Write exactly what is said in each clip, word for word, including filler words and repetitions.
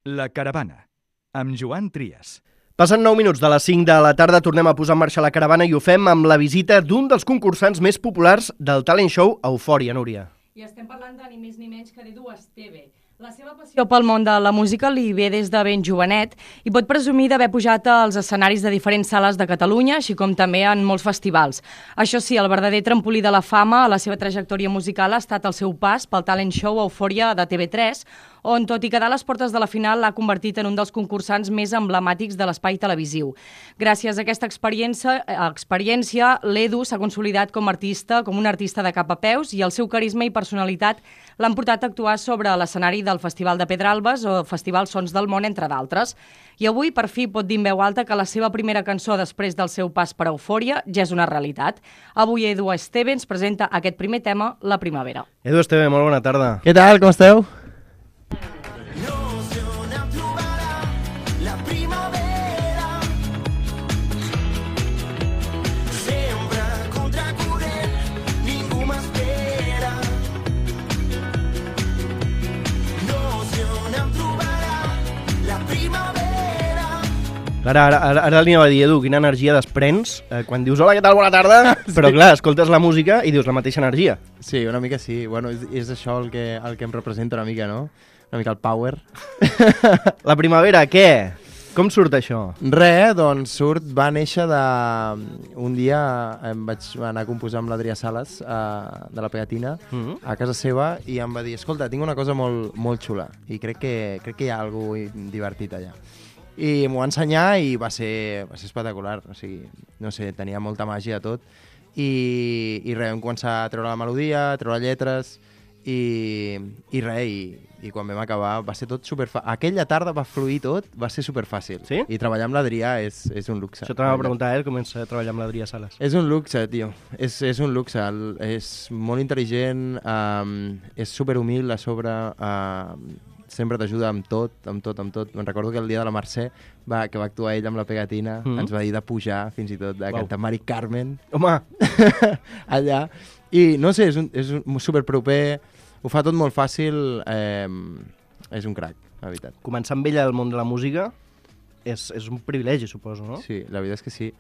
La Caravana, amb Joan Trias. Passen nou minuts de les cinc de la tarda, tornem a posar en marxa la caravana i ho fem amb la visita d'un dels concursants més populars del talent show Eufòria, Núria. I estem parlant de ni més ni menys que d'Edu Esteve. La seva passió pel món de la música li ve des de ben jovenet i pot presumir d'haver pujat als escenaris de diferents sales de Catalunya, així com també en molts festivals. Això sí, el verdader trampolí de la fama a la seva trajectòria musical ha estat el seu pas pel talent show Eufòria de T V tres, on, tot i quedar a les portes de la final, l'ha convertit en un dels concursants més emblemàtics de l'espai televisiu. Gràcies a aquesta experiència, experiència l'Edu s'ha consolidat com a artista, com un artista de cap a peus, i el seu carisma i personalitat l'han portat a actuar sobre l'escenari del Festival de Pedralbes o Festival Sons del Món, entre d'altres. I avui, per fi, pot dir en veu alta que la seva primera cançó després del seu pas per Eufòria ja és una realitat. Avui Edu Esteve ens presenta aquest primer tema, La Primavera. Edu Esteve, molt bona tarda. Què tal, com esteu? Ara, ara, ara, ara li anava a dir, Edu, quina energia desprens eh, quan dius hola, què tal, bona tarda, sí. Però clar, escoltes la música i dius la mateixa energia. Sí, una mica sí. Bueno, és, és això el que, el que em representa una mica, no? Una mica el power. La primavera, què? Com surt això? Re, doncs surt, va néixer de... Un dia em vaig anar a composar amb l'Adrià Sales, uh, de la Pegatina, mm-hmm. a casa seva, i em va dir, escolta, tinc una cosa molt, molt xula, i crec que, crec que hi ha alguna cosa divertit allà. I m'ho va ensenyar i va ser, va ser espectacular, o sigui, no sé, tenia molta màgia tot, i, i res, vam començar a treure la melodia, a treure lletres, i, i res, i, i quan vam acabar va ser tot superfàcil. Aquella tarda va fluir tot, va ser superfàcil. Sí? I treballar amb l'Adrià és, és un luxe. Això t'anava a preguntar, eh, comença a treballar amb l'Adrià Sales. És un luxe, tio, és, és un luxe, el, és molt intel·ligent, um, és superhumil a sobre, uh, sempre t'ajuda amb tot, amb tot, amb tot. Me'n recordo que el dia de la Mercè, va, que va actuar ell amb la Pegatina, mm-hmm. ens va dir de pujar, fins i tot, de wow. cantar Mari Carmen. Home! Allà. I no sé, és, un, és un superproper, ho fa tot molt fàcil, eh, és un crac, la veritat. Començar amb ella al món de la música és, és un privilegi, suposo, no? Sí, la veritat és que sí.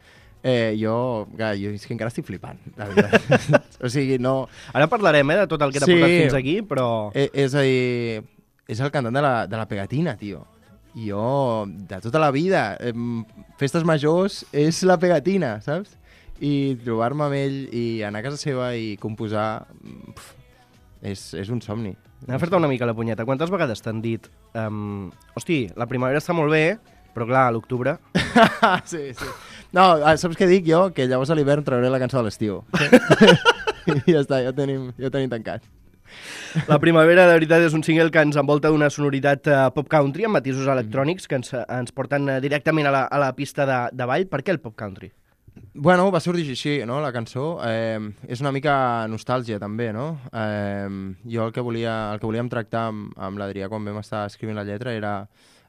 Eh, jo, jo és que encara estic flipant, la veritat. O sigui, no... Ara parlarem, eh, de tot el que t'ha sí. portat fins aquí, però... Eh, és a dir... És el cantant de la, de la Pegatina, tio. I jo, de tota la vida, eh, festes majors és la Pegatina, saps? I trobar-me amb ell i anar a casa seva i composar, pf, és, és un somni. Anem a fer-te una mica la punyeta. Quantes vegades t'han dit um, hosti, la primavera està molt bé, però clar, a l'octubre... sí, sí. No, saps què dic jo? Que llavors a l'hivern trauré la cançó de l'estiu. I ja està, ja ho tenim, ja ho tenim tancat. La primavera, de veritat, és un single que ens envolta d'una sonoritat uh, pop country amb matisos electrònics que ens, ens porten uh, directament a la, a la pista de, de ball. Per què el pop country? Bueno, va sorgir així, no?, la cançó. Eh, és una mica nostàlgia, també, no? Eh, jo el que, volia, el que volíem tractar amb, amb l'Adrià quan vam estar escrivint la lletra era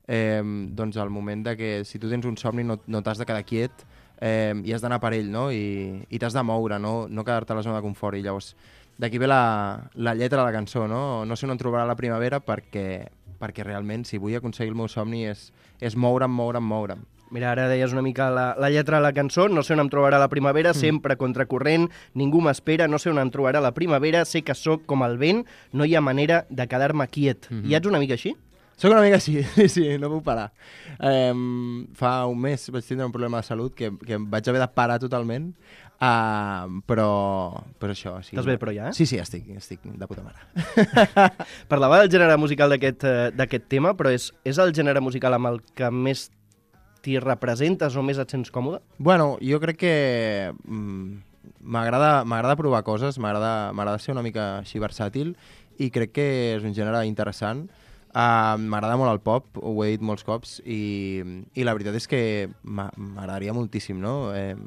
eh, doncs el moment de que si tu tens un somni no, no t'has de quedar quiet eh, i has d'anar per ell, no? I, i t'has de moure, no, no quedar-te a la zona de confort. I llavors d'aquí ve la, la lletra de la cançó, no? No sé on em trobarà la primavera perquè, perquè realment, si vull aconseguir el meu somni, és, és moure'm, moure'm, moure'm. Mira, ara deies una mica la, la lletra de la cançó, no sé on em trobarà la primavera, mm. sempre contracorrent, ningú m'espera, no sé on em trobarà la primavera, sé que sóc com el vent, no hi ha manera de quedar-me quiet. Mm-hmm. I ets una mica així? Soc una mica així, sí, sí, no puc parar. Eh, fa un mes vaig tindre un problema de salut que, que vaig haver de parar totalment, Uh, però, però això... Sí. Estàs bé, però ja? Eh? Sí, sí, estic, estic de puta mare. Parlava del gènere musical d'aquest uh, tema, però és, és el gènere musical amb el que més t'hi representes o més et sents còmode? Bueno, jo crec que mm, m'agrada provar coses, m'agrada ser una mica així versàtil i crec que és un gènere interessant. Uh, m'agrada molt el pop, ho he dit molts cops, i, i la veritat és que m'agradaria moltíssim, no?, eh,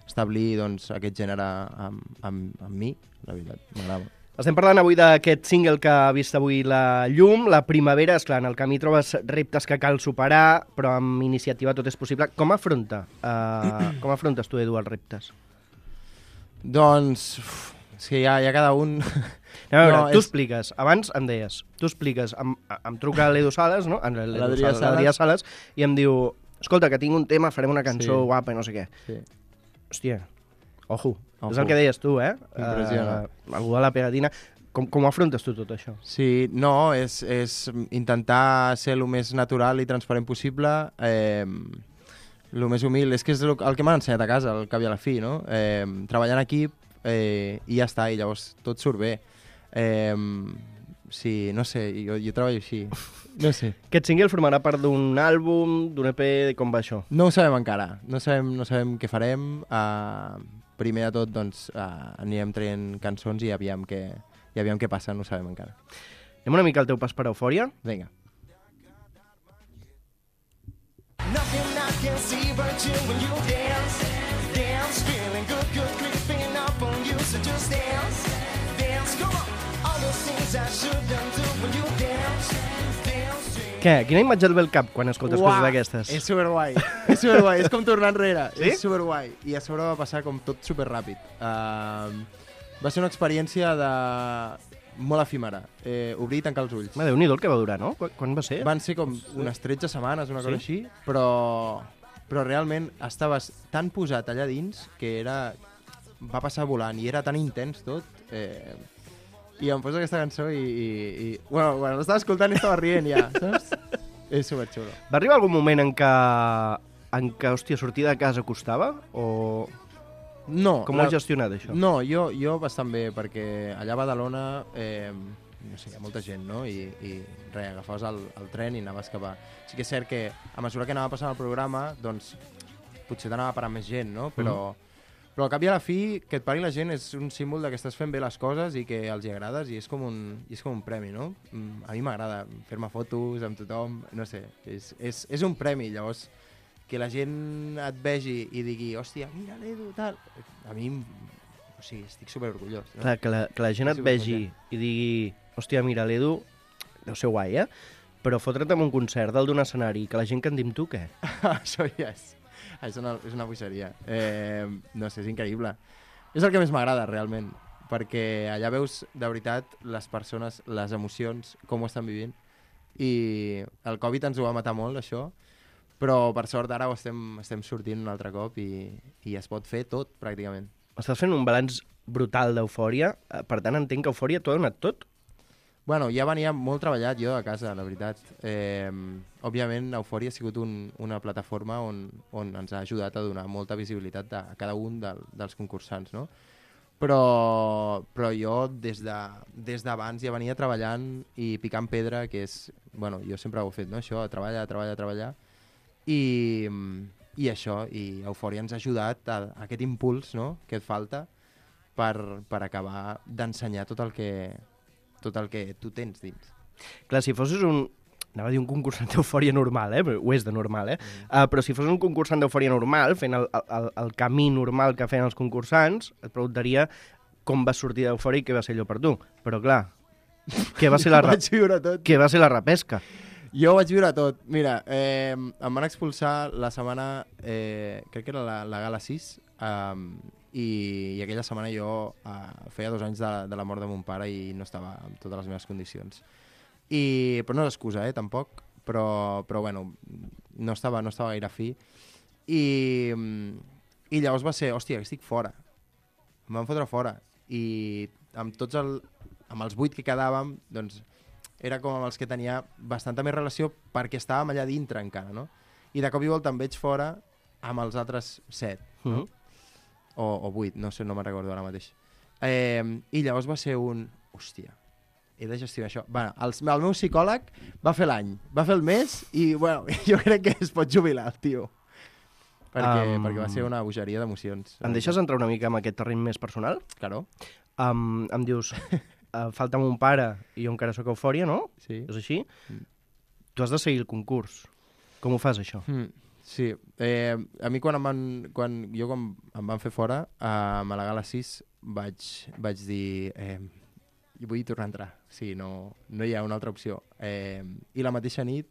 establir doncs, aquest gènere amb, amb, amb mi, la veritat, m'agrada. Estem parlant avui d'aquest single que ha vist avui la llum, la primavera. Esclar, en el camí trobes reptes que cal superar, però amb iniciativa tot és possible. Com afronta, uh, com afrontes tu, Edu, els reptes? Doncs, uf, és que hi ha, hi ha cada un... No, a veure, No, tu és- expliques, abans em deies, tu expliques, em, em truca l'Edu Sales, no? En l'Edu L'Adrià Sales, l'Adrià Sales, i em diu, escolta, que tinc un tema, farem una cançó Sí. guapa i no sé què. Sí. Hòstia, ojo, Ojo. és el que deies tu, eh? Impressiona. Uh, algú de la pegatina. Com, com ho afrontes tu tot això? Sí, no, és, és intentar ser el més natural i transparent possible, eh, el més humil. És que és el, el que m'han ensenyat a casa, al cap i a la fi, no? Eh, treballar en equip eh, i ja està, i llavors tot surt bé. Eh, sí, no sé, jo, jo treballo així. No sé. Aquest single formarà part d'un àlbum, d'un E P, com va això? No ho sabem encara, no sabem, no sabem què farem. Uh, primer de tot, doncs, uh, anirem traient cançons i aviam què, i aviam què passa, no ho sabem encara. Anem una mica al teu pas per Eufòria? Vinga. Nothing I can see but you when you dance. Dance, feeling good, good, creeping up on you. So just dance, dance, come on. All those things I shouldn't do when you dance. Dance, Què? Quina imatge et ve al cap quan escoltes Uah, coses d'aquestes? És superguai, és superguai, és com tornar enrere, Sí? és superguai. I a sobre va passar com tot superràpid. Uh, va ser una experiència de... molt efímera, eh, obrir i tancar els ulls. Ma, Déu-n'hi-do el que va durar, no? Quan, quan va ser? Van ser com unes tretze setmanes, una cosa Sí? així, però, però realment estaves tan posat allà dins que era... va passar volant i era tan intens tot. Eh, I em poso aquesta cançó i... i, i bueno, quan l'estava escoltant estava rient ja, saps? És superxulo. Va arribar algun moment en què, en què, hòstia, sortir de casa costava? O No. com ho has gestionat, això? No, jo, jo bastant bé, perquè allà a Badalona, eh, no sé, hi ha molta gent, no? I, i res, agafaves el, el tren i anaves cap a... Sí que és cert que a mesura que anava passant el programa, doncs potser t'anava parant més gent, no? Però, mm. però al cap i a la fi, que et pari la gent és un símbol de que estàs fent bé les coses i que els hi agrades i és com un, i és com un premi, no? Mm, A mi m'agrada fer-me fotos amb tothom, no sé, és, és, és un premi, llavors que la gent et vegi i digui, hòstia, mira l'Edu, tal... A mi, o sigui, estic superorgullós. No? Clar, que la, que la gent et Sí, vegi i digui, hòstia, mira, l'Edu, deu ser guai, eh? Però fotre't en un concert dalt d'un escenari i que la gent canti amb tu, què? Això ja és... És una, és una boixeria. Eh, no sé, és increïble. És el que més m'agrada, realment, perquè allà veus, de veritat, les persones, les emocions, com ho estan vivint. I el Covid ens ho va matar molt, això, però per sort ara ho estem, estem sortint un altre cop i, i es pot fer tot, pràcticament. Estàs fent un balanç brutal d'Eufòria, eh, per tant entenc que Eufòria t'ho ha donat tot. Bueno, ja venia molt treballat jo a casa, la veritat. Eh, òbviament, Eufòria ha sigut un, una plataforma on, on ens ha ajudat a donar molta visibilitat a cada un del, dels concursants, no? Però, però jo des de, des d'abans ja venia treballant i picant pedra, que és... Bueno, jo sempre ho he fet, no? Això, treballar, treballar, treballar. I, i això, i Eufòria ens ha ajudat a, a aquest impuls, no?, que et falta per, per acabar d'ensenyar tot el que tot el que tu tens dins. Clar, si fossis un... Anava a dir un concursant d'Eufòria normal, eh? Ho és de normal, eh? Mm. Uh, però si fos un concursant d'Eufòria normal, fent el, el, el camí normal que feien els concursants, et preguntaria com vas sortir d'Eufòria i què va ser allò per tu. Però clar, què va ser la, ra... Vaig viure tot. què va ser la repesca? Jo ho vaig viure tot. Mira, eh, em van expulsar la setmana, eh, crec que era la, la gala sis, um, i, i aquella setmana jo uh, feia dos anys de, de la mort de mon pare i no estava en totes les meves condicions. I, però no és excusa, eh, tampoc, però, però bueno, no estava, no estava gaire fi. I, i llavors va ser, hòstia, estic fora. Em van fotre fora. I amb tots el, amb els vuit que quedàvem, doncs era com amb els que tenia bastanta més relació perquè estàvem allà dintre encara, no? I de cop i volta em veig fora amb els altres set, no? Mm -hmm. o, o vuit, no sé, no me'n recordo ara mateix. Eh, I llavors va ser un... Hòstia, he de gestionar això. Bueno, el, el meu psicòleg va fer l'any, va fer el mes i, bueno, jo crec que es pot jubilar, el tio. Perquè, Um, perquè va ser una bogeria d'emocions. Em deixes entrar una mica en aquest terreny més personal? Claro. Um, em dius, uh, falta mon pare i jo encara sóc Eufòria, no? Sí. És així? Mm. Tu has de seguir el concurs. Com ho fas, això? Mm, sí. Eh, a mi quan, em van, quan jo quan em van fer fora, a la gala sis, vaig, vaig dir... Eh, vull tornar a entrar. Sí, no, no hi ha una altra opció. Eh, I la mateixa nit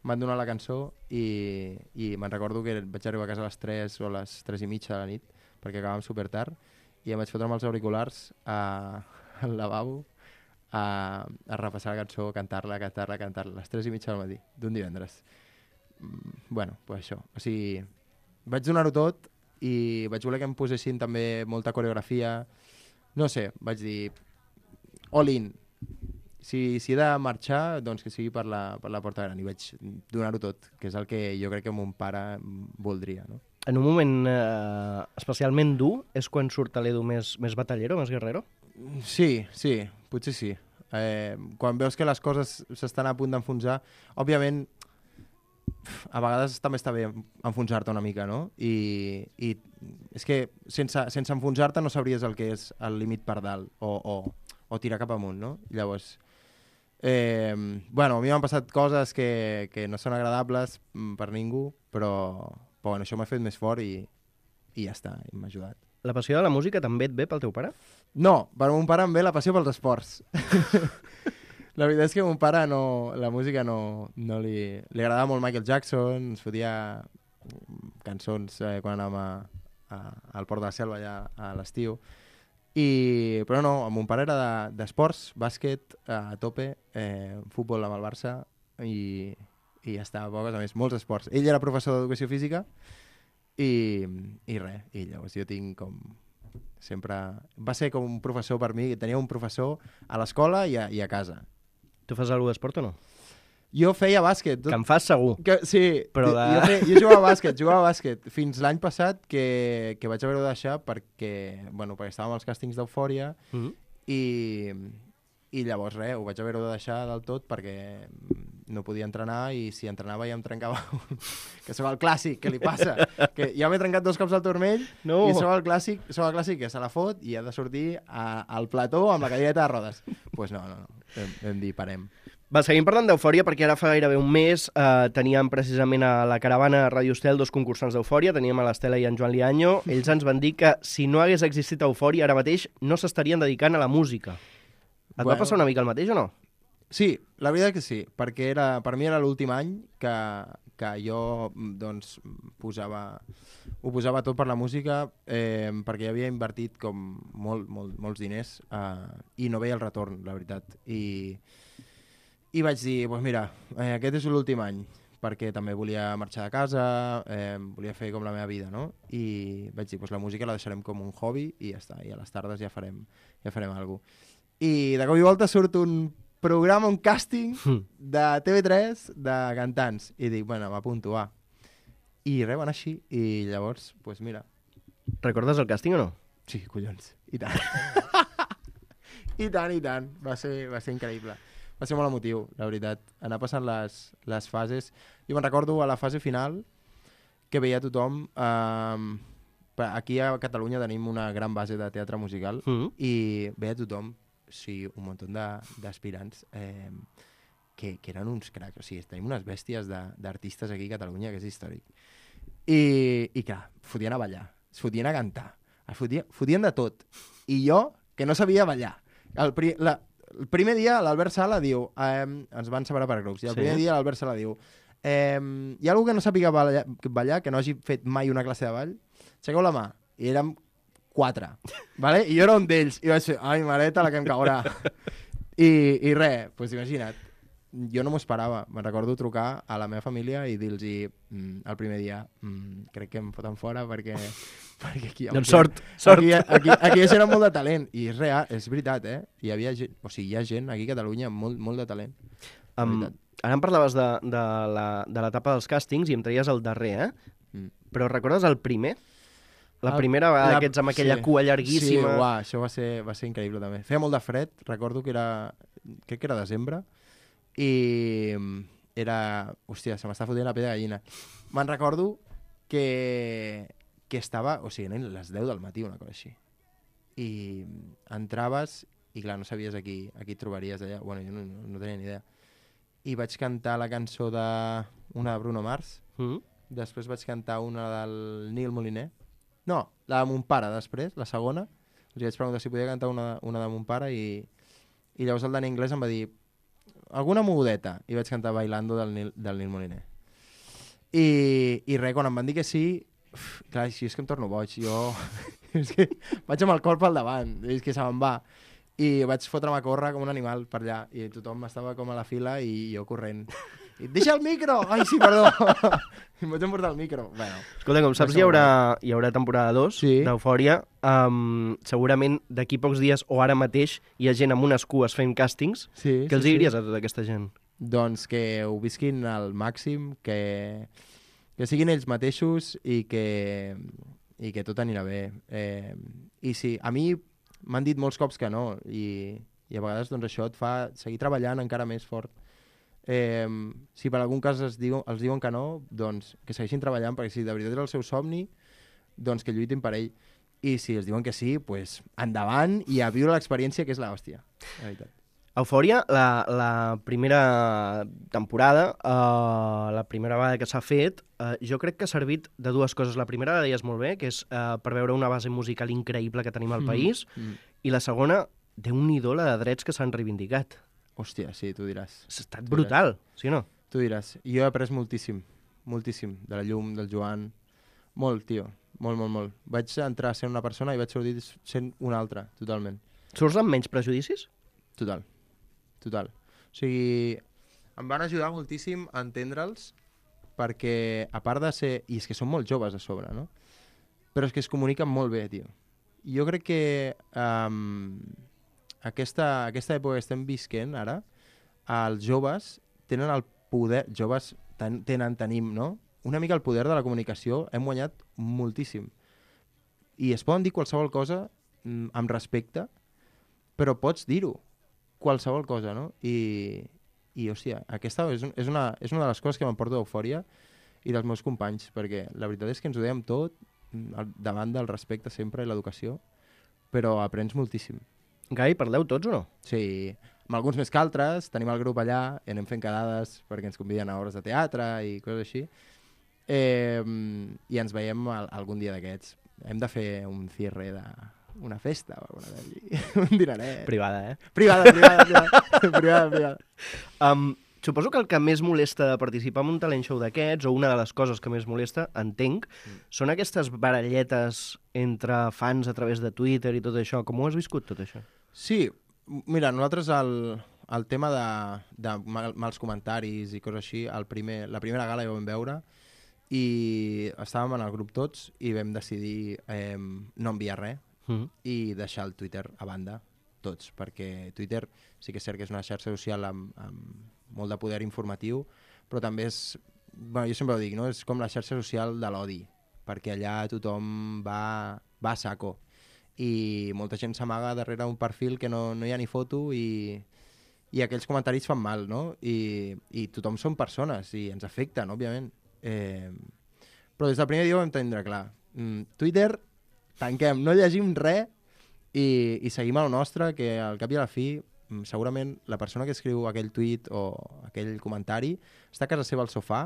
m'han donat la cançó i, i me'n recordo que vaig arribar a casa a les tres o a les tres i mitja de la nit perquè acabàvem super tard i em vaig fotre amb els auriculars a, al lavabo a, a repassar la cançó, cantar-la, cantar-la, cantar-la, a les tres i mitja del matí, d'un divendres. Mm, bueno, pues això. O sigui, vaig donar-ho tot i vaig voler que em posessin també molta coreografia. No sé, vaig dir, all in. Si, si he de marxar, doncs que sigui per la, per la porta gran. I vaig donar-ho tot, que és el que jo crec que mon pare voldria, no? En un moment eh, especialment dur és quan surt l'Edu més, més batallero, més guerrero? Sí, sí, potser sí. Eh, quan veus que les coses s'estan a punt d'enfonsar, òbviament, a vegades també està bé enfonsar-te una mica, no? I, i és que sense, sense enfonsar-te no sabries el que és el límit per dalt o, o, o tirar cap amunt, no? I llavors, eh, bueno, a mi m'han passat coses que, que no són agradables per ningú, però, però bueno, això m'ha fet més fort i, i ja està, i m'ha ajudat. La passió de la música també et ve pel teu pare? No, per mon pare em ve la passió pels esports. La veritat és que mon pare no, la música no, no li... Li agradava molt Michael Jackson, ens fotia cançons eh, quan anàvem a, a, al Port de la Selva allà a l'estiu. I, però no, mon pare era d'esports, de, bàsquet a tope, eh, futbol amb el Barça i, i ja està, poques a més, molts esports. Ell era professor d'educació física i, i res, i llavors jo tinc com... sempre... Va ser com un professor per mi, tenia un professor a l'escola i, i a casa. Tu fas alguna d'esport o no? Jo feia bàsquet. Tot... Que en fas segur. Que, sí, però de... jo, feia, jo jugava a bàsquet, jugava a bàsquet fins l'any passat que, que vaig haver-ho de deixar perquè, bueno, perquè estàvem als càstings d'Eufòria mm -hmm. i, i llavors res, ho vaig haver-ho de deixar del tot perquè no podia entrenar i si entrenava ja em trencava un... que sóc el clàssic, què li passa? Que ja m'he trencat dos cops al turmell no. I sóc el clàssic, sóc el clàssic que se la fot i ha de sortir a, al plató amb la cadireta de rodes. Doncs pues no, no, no, vam, vam dir parem. Va, seguim parlant d'Eufòria perquè ara fa gairebé un mes eh, teníem precisament a la caravana Ràdio Estel dos concursants d'Eufòria, teníem a l'Estela i en Joan Liaño. Ells ens van dir que si no hagués existit Eufòria ara mateix no s'estarien dedicant a la música. Et bueno. Va passar una mica el mateix o no? Sí, la veritat que sí, perquè era, per mi era l'últim any que, que jo doncs, posava, ho posava tot per la música eh, perquè havia invertit com molt, molt, molts diners eh, i no veia el retorn, la veritat. I, i vaig dir, doncs mira, eh, aquest és l'últim any, perquè també volia marxar de casa, eh, volia fer com la meva vida, no? I vaig dir, doncs la música la deixarem com un hobby i ja està, i a les tardes ja farem, ja farem alguna cosa. I de cop i volta surt un programa, un càsting de T V tres de cantants. I dic, bueno, m'apunto, va. I res, van així. I llavors, doncs pues mira. Recordes el càsting o no? Sí, collons. I tant. I tant, i tant. Va ser, va ser increïble. Va ser molt emotiu, la veritat. Anar passant les, les fases. Jo me'n recordo a la fase final que veia tothom... Eh, aquí a Catalunya tenim una gran base de teatre musical mm-hmm. i veia tothom, sí, un munt d'aspirants eh, que, que eren uns cracs. O sigui, tenim unes bèsties d'artistes aquí a Catalunya que és històric. I, i clar, fotien a ballar, es fotien a cantar, es fotien, fotien de tot. I jo, que no sabia ballar. El, pri, la, el primer dia l'Albert Sala diu, eh, ens van separar per grups, i el sí. primer dia l'Albert Sala diu, eh, hi ha algú que no sàpiga ballar, ballar, que no hagi fet mai una classe de ball? Aixequeu la mà. I érem quatre, vale? I jo era un d'ells, i vaig fer, ai, mareta, la que em caurà. I, i res, doncs imagina't, jo no m'ho esperava. Me'n recordo trucar a la meva família i dir-los mm, el primer dia, mm, crec que em foten fora perquè... perquè aquí hi ha... Doncs sort, sort. Aquí, aquí, aquí hi ha molt de talent, i és real, és veritat, eh? Hi havia gent, o sigui, hi ha gent aquí a Catalunya amb molt, molt de talent. Um, ara em parlaves de, de l'etapa dels càstings i em traies el darrer, eh? Mm. Però recordes el primer? La primera vegada la... que ets amb aquella sí, cua llarguíssima... Sí, uah, això va ser, va ser increïble també. Feia molt de fred, recordo que era... crec que era desembre, i era... Hòstia, se m'està fotent la pell de gallina. Me'n recordo que... que estava... O sigui, eren les deu del matí, una cosa així. I entraves i, clar, no sabies a qui, a qui trobaries allà. Bueno, jo no, no, no tenia ni idea. I vaig cantar la cançó de... una de Bruno Mars. Mm-hmm. Després vaig cantar una del Nil Moliner. No, la de mon pare després, la segona. Els vaig preguntar si podia cantar una, una de mon pare i, i llavors el Dani Anglès em va dir alguna mogudeta, i vaig cantar Bailando del Nil, del Nil Moliner. I, i res, quan em van dir que sí, uf, clar, així és que em torno boig. Jo és que vaig amb el corp al davant, és que se me'n va. i vaig fotre'm a córrer com un animal per allà, i tothom estava com a la fila i jo corrent. I, deixa el micro! Ai, sí, perdó! I em vaig emportar el micro. Bueno, escolta, com saps, hi haurà, hi haurà temporada dos Sí. d'Eufòria. Um, segurament d'aquí pocs dies o ara mateix hi ha gent amb unes cues fent càstings. sí, Què els sí, diries sí. a tota aquesta gent? Doncs que ho visquin al màxim, que, que siguin ells mateixos i que, i que tot anirà bé. Eh, I sí, a mi m'han dit molts cops que no, i, i a vegades doncs, això et fa seguir treballant encara més fort. Eh, si per algun cas es diu, els diuen que no, doncs que segueixin treballant, perquè si de veritat és el seu somni, doncs que lluitin per ell. I si els diuen que sí, doncs endavant i a viure l'experiència, que és l'hòstia, la veritat. Eufòria, la, la primera temporada, uh, la primera vegada que s'ha fet, uh, jo crec que ha servit de dues coses. La primera la deies molt bé, que és uh, per veure una base musical increïble que tenim al país, Mm. i la segona, déu-n'hi-do la de drets que s'han reivindicat. Hòstia, sí, tu diràs. Ha estat brutal, sí o no? Tu diràs. Jo he après moltíssim, moltíssim, de la Llum, del Joan. Molt, tio, molt, molt, molt. Vaig entrar a ser una persona i vaig sortir sent una altra, totalment. Surts amb menys prejudicis? Total, total. O sigui, em van ajudar moltíssim a entendre'ls perquè, a part de ser... I és que són molt joves a sobre, no? Però és que es comuniquen molt bé, tio. Jo crec que um, aquesta, aquesta època que estem visquent ara, els joves tenen el poder... Joves ten, tenen, tenim, no? Una mica el poder de la comunicació. Hem guanyat moltíssim. I es poden dir qualsevol cosa mm, amb respecte, però pots dir-ho. Qualsevol cosa, no? I, i hòstia, aquesta és, un, és, una, és una de les coses que m'emporto d'Eufòria i dels meus companys, perquè la veritat és que ens ho dèiem tot al davant del respecte sempre i l'educació, però aprens moltíssim. Gai, parleu tots o no? Sí, amb alguns més que altres, tenim el grup allà i anem fent quedades perquè ens conviden a obres de teatre i coses així. Eh, I ens veiem al, algun dia d'aquests. Hem de fer un cierre de... una festa o alguna cosa, un dinaret. Privada, eh? Privada, privada, privada, privada, privada. Um, suposo que el que més molesta de participar en un talent show d'aquests, o una de les coses que més molesta, entenc, mm. són aquestes baralletes entre fans a través de Twitter i tot això. Com ho has viscut, tot això? Sí, mira, nosaltres el, el tema de, de mal, mals comentaris i coses així, el primer, la primera gala ja ho vam veure i estàvem en el grup tots i vam decidir eh, no enviar res mm. i deixar el Twitter a banda, tots, perquè Twitter sí que és cert que és una xarxa social amb, amb molt de poder informatiu, però també és, bueno, jo sempre ho dic, no? És com la xarxa social de l'odi, perquè allà tothom va, va a saco i molta gent s'amaga darrere un perfil que no, no hi ha ni foto i, i aquells comentaris fan mal, no? I, i tothom són persones i ens afecten, òbviament. Eh, però des del primer dia ho vam entendre clar. Mm, Twitter, tanquem, no llegim res i, i seguim el nostre, que al cap i a la fi segurament la persona que escriu aquell tuit o aquell comentari està a casa seva al sofà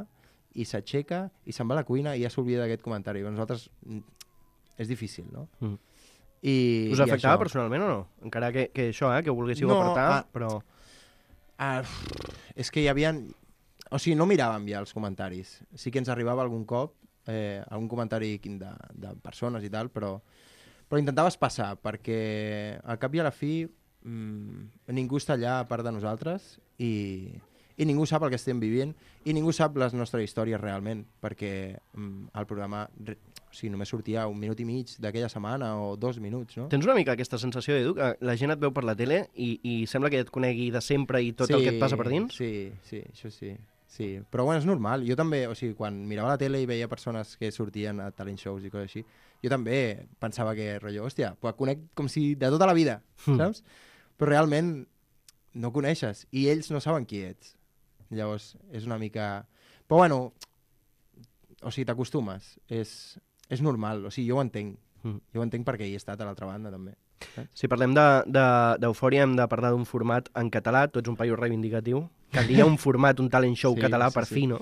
i s'aixeca i se'n va a la cuina i ja s'oblida d'aquest comentari. Però nosaltres mm, és difícil, no? Mm. I, Us afectava això... personalment o no? Encara que, que això, eh, que ho volguéssiu no, apartar, ah, però... Ah, és que hi havia... O sigui, no miràvem ja els comentaris. Sí que ens arribava algun cop, eh, algun comentari de, de persones i tal, però, però intentaves passar, perquè al cap i a la fi mmm, ningú està allà a part de nosaltres i, i ningú sap el que estem vivint i ningú sap les nostres històries realment, perquè mm, el programa... O sigui, només sortia un minut i mig d'aquella setmana o dos minuts, no? Tens una mica aquesta sensació, Edu, que la gent et veu per la tele i, i sembla que et conegui de sempre i tot sí, el que et passa per dins? Sí, sí, això sí. Sí, però bueno, és normal. Jo també, o sigui, quan mirava la tele i veia persones que sortien a talent shows i coses així, jo també pensava que, rotllo, hòstia, pues conec com si de tota la vida, mm. saps? Però realment no coneixes i ells no saben qui ets. Llavors, és una mica... Però bueno, o sigui, t'acostumes. És, és normal, o sigui, jo ho entenc. Mm. Jo ho entenc perquè hi he estat a l'altra banda, també. Saps? Si parlem d'Eufòria, hem de parlar d'un format en català. Tu ets un paio reivindicatiu. Caldria un format, un talent show sí, català sí, per sí. fi, no?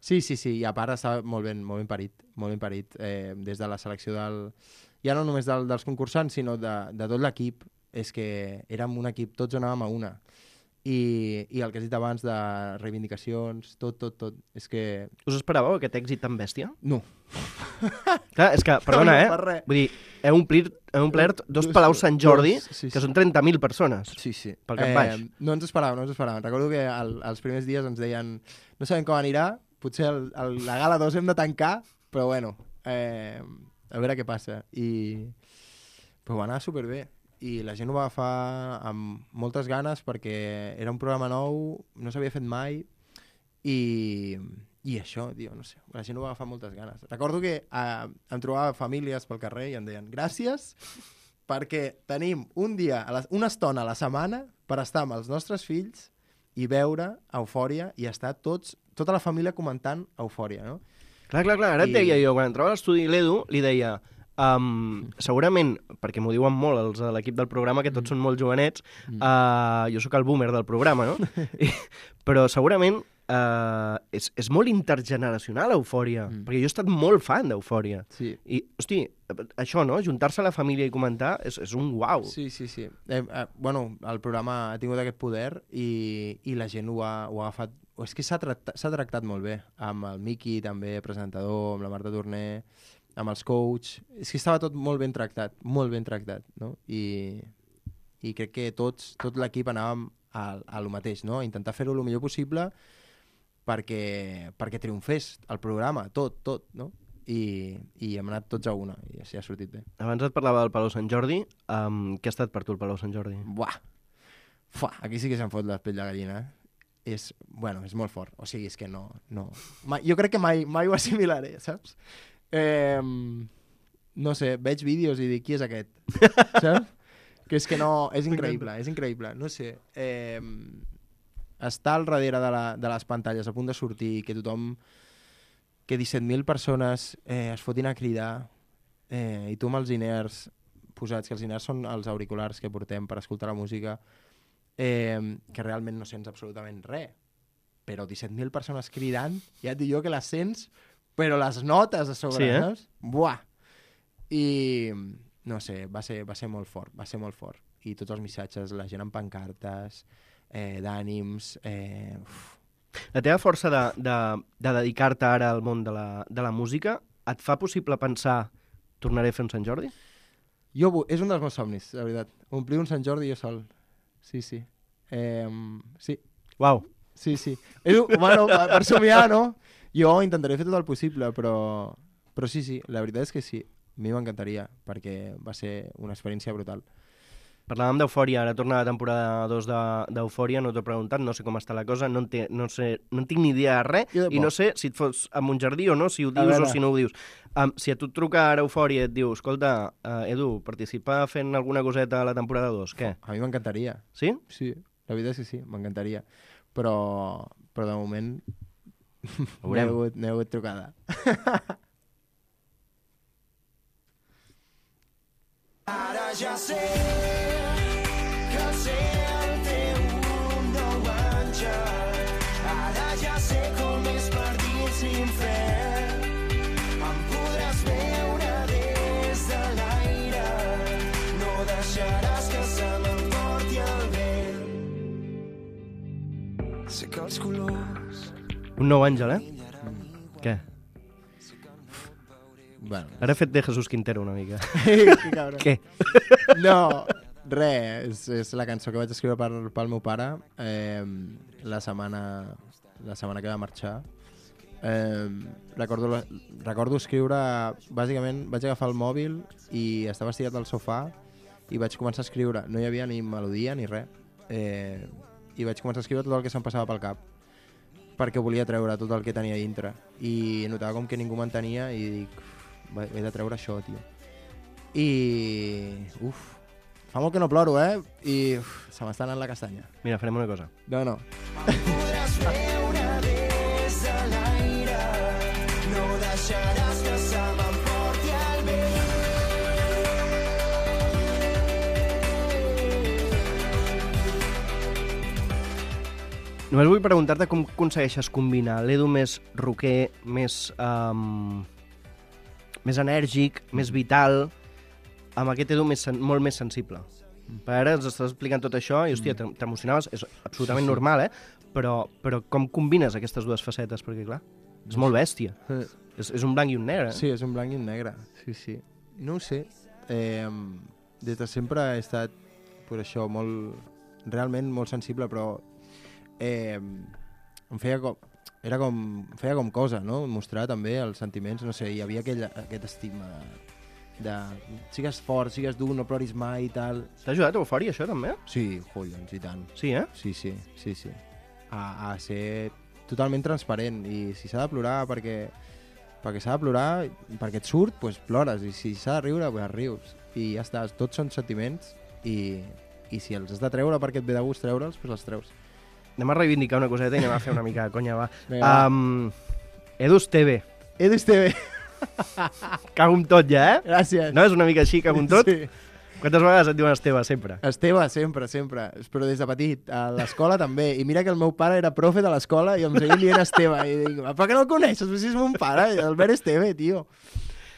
Sí, sí, sí, i a part està molt ben, molt ben parit, molt ben parit, eh, des de la selecció del... Ja no només del, dels concursants, sinó de, de tot l'equip. És que érem un equip, tots anàvem a una. I, i el que has dit abans de reivindicacions, tot, tot, tot, és que... Us esperàveu aquest èxit tan bèstia? No. Clar, és que, perdona, No, no eh? fa res. Vull dir, heu omplert, heu omplert dos Dos- Palaus Sant Jordi, dos, sí, que sí. són trenta mil persones. Sí, sí. Pel cap baix. No ens esperàvem, no ens esperàvem. Recordo que al, als primers dies ens deien no sabem com anirà, potser el, el, la gala dos hem de tancar, però bueno, eh, a veure què passa. I però va anar superbé. I la gent ho va agafar amb moltes ganes perquè era un programa nou, no s'havia fet mai, i, i això, tio, no sé, la gent ho va agafar amb moltes ganes. Recordo que eh, em trobava famílies pel carrer i em deien gràcies perquè tenim un dia, a la, una estona a la setmana per estar amb els nostres fills i veure Eufòria i estar tots, tota la família comentant Eufòria, no? Clar, clar, clar. Ara et I- deia jo, quan entrava a l'estudi l'Edu, li deia... Um, segurament, perquè m'ho diuen molt els de l'equip del programa, que tots mm. són molt jovenets, mm. uh, jo sóc el boomer del programa, no? I, però segurament uh, és, és molt intergeneracional Eufòria, mm. perquè jo he estat molt fan d'Eufòria. Sí. I, hosti, això, no? Juntar-se a la família i comentar és, és un uau. Sí, sí, sí. Eh, eh, bueno, el programa ha tingut aquest poder i, i la gent ho ha, ho ha agafat... És que s'ha tractat, s'ha tractat molt bé, amb el Miqui també, presentador, amb la Marta Torner, amb els coach... És que estava tot molt ben tractat, molt ben tractat, no? I, i crec que tots, tot l'equip anàvem a, a lo mateix, no? A intentar fer-ho el millor possible perquè, perquè triomfés el programa, tot, tot, no? I, i hem anat tots a una, i així ha sortit bé. Abans et parlava del Palau Sant Jordi. Um, què ha estat per tu el Palau Sant Jordi? Buah! Fuà, aquí sí que se'n fot la pell de gallina, eh? És, bueno, és molt fort. O sigui, és que no... no. Mai, jo crec que mai, mai ho assimilaré, saps? Eh, no sé, veig vídeos i dic, qui és aquest? Saps? Que és que no... És increïble, és increïble. No sé. Eh, estar al darrere de, la, de les pantalles a punt de sortir, que tothom... Que disset mil persones eh, es fotin a cridar eh, i tu amb els in-ears posats, que els in-ears són els auriculars que portem per escoltar la música, eh, que realment no sents absolutament res, però disset mil persones cridant, ja et dic jo que les sents, però les notes a sobre, Sí, eh? saps? Buah! I no sé, va ser, va ser molt fort, va ser molt fort. I tots els missatges, la gent amb pancartes, eh, d'ànims... Eh, uf. La teva força de, de, de dedicar-te ara al món de la, de la música et fa possible pensar tornaré a fer un Sant Jordi? Jo, vu- és un dels meus somnis, la veritat. Omplir un Sant Jordi jo sol. Sí, sí. Eh, sí, Uau. sí, sí. És, un- bueno, per, per somiar, no? Jo intentaré fer tot el possible, però, però sí, sí, la veritat és que sí. A mi m'encantaria, perquè va ser una experiència brutal. Parlàvem d'Eufòria, ara torna la temporada dos d'Eufòria, no t'ho he preguntat, no sé com està la cosa, no en, té, no sé, no en tinc ni idea de res, Jo i no sé si et fos a Montjardí o no, si ho A dius veure. o si no ho dius. Um, si a tu et truca ara Eufòria i et diu, escolta, uh, Edu, participa fent alguna coseta a la temporada dos, què? A mi m'encantaria. Sí? Sí, la veritat és que sí, m'encantaria. Però, però de moment no he veurem. hagut, no he hagut trucada. Ara ja sé que el cel té un nou àngel. Ara ja sé com és per dins l'infern. Em podràs veure des de l'aire. No deixaràs que se m'emporti el vent. Sé que els colors Un nou àngel, eh? Què? Bueno, Ara he fet de Jesús Quintero una mica. que cabron. Què? No, res, és, és la cançó que vaig escriure per, pel meu pare eh, la setmana la setmana que va marxar. Eh, recordo, la- recordo escriure, bàsicament vaig agafar el mòbil i estava estirat al sofà i vaig començar a escriure, no hi havia ni melodia ni res, eh, i vaig començar a escriure tot el que se'm passava pel cap perquè volia treure tot el que tenia dintre i notava com que ningú m'entenia i dic, "Uf, he de treure això, tio." I... Uf, fa molt que no ploro, eh? I uf, se m'està anant la castanya. Mira, farem una cosa. No, no. podràs veure des de l'aire. No deixaràs que se m'emporti el vent. Només vull preguntar-te com aconsegueixes combinar l'Edu més rocker, més, um, més enèrgic, més vital, amb aquest Edu més, sen- molt més sensible. Per ara ens estàs explicant tot això i, hòstia, t'emocionaves, és absolutament normal, eh? Però, però com combines aquestes dues facetes? Perquè, clar... És molt bèstia. Eh, És, és un blanc i un negre. Eh? Sí, és un blanc i un negre. Sí, sí. No ho sé. Eh, des de sempre he estat, pues això, molt... Realment molt sensible, però... Eh, em feia com... Era com... Em feia com cosa, no? Mostrar també els sentiments. No sé, hi havia aquell, aquest estigma de... Sigues fort, sigues dur, no ploris mai i tal. T'ha ajudat a Eufòria, això, també? Sí, collons, i tant. Sí, eh? Sí, sí, sí, sí. A, a ser totalment transparent. I si s'ha de plorar perquè, perquè s'ha de plorar, perquè et surt, doncs plores. I si s'ha de riure, doncs rius. I ja està, tots són sentiments i, i si els has de treure perquè et ve de gust treure'ls, doncs els treus. Anem a reivindicar una coseta i anem a fer una mica de conya, va. Vinga, va. Um, Edu Esteve. Edu Esteve. Cago amb tot, ja, eh? Gràcies. No, és una mica així, cago amb tot? Sí. Quantes vegades et diuen Esteve, sempre? Esteve, sempre, sempre. Però des de petit. A l'escola també. I mira que el meu pare era profe de l'escola i em seguia dient Esteve. I dic, per què no el coneixes? Si és mon pare, Albert Esteve, tio.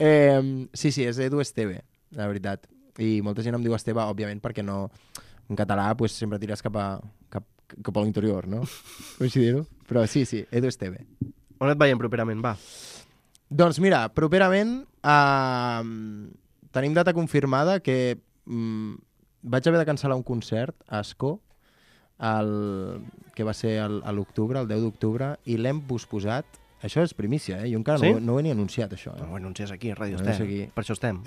Eh, sí, sí, és Edu Esteve, la veritat. I molta gent em diu Esteve, òbviament, perquè no... En català, pues, sempre tires cap a, cap, cap a l'interior, no? Vull dir-ho? Però sí, sí, Edu Esteve. On et veiem properament, va? Doncs mira, properament eh, tenim data confirmada que mm, vaig haver de cancel·lar un concert a Ascó, el, que va ser el, a l'octubre, el deu d'octubre, i l'hem posposat. Això és primícia, eh? Jo encara Sí? no, no ho he ni anunciat, això. Eh? Però bueno, anuncies aquí, a Ràdio No, Estem. és aquí. Per això estem.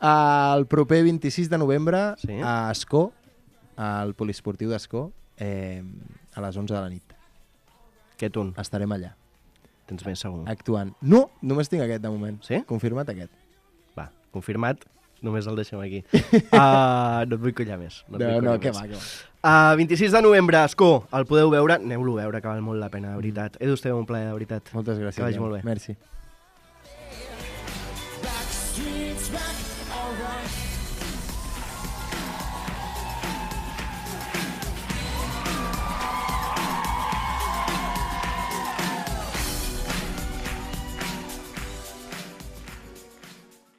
El proper vint-i-sis de novembre Sí. a Ascó, al poliesportiu d'Ascó, eh, a les onze de la nit. Què tu? Estarem allà, Tens més segur. actuant. No, només tinc aquest de moment. Sí? Confirmat aquest. Va, confirmat. Només el deixem aquí. Uh, no et vull collar més. No, et No, vull no, collar què més. va, què va. Uh, vint-i-sis de novembre, Ascó, el podeu veure. Aneu-lo a veure, que val molt la pena, de veritat. Edu, esteu un plaer, de veritat. Moltes gràcies. Que vagi Jan. molt bé. Merci. Back streets, back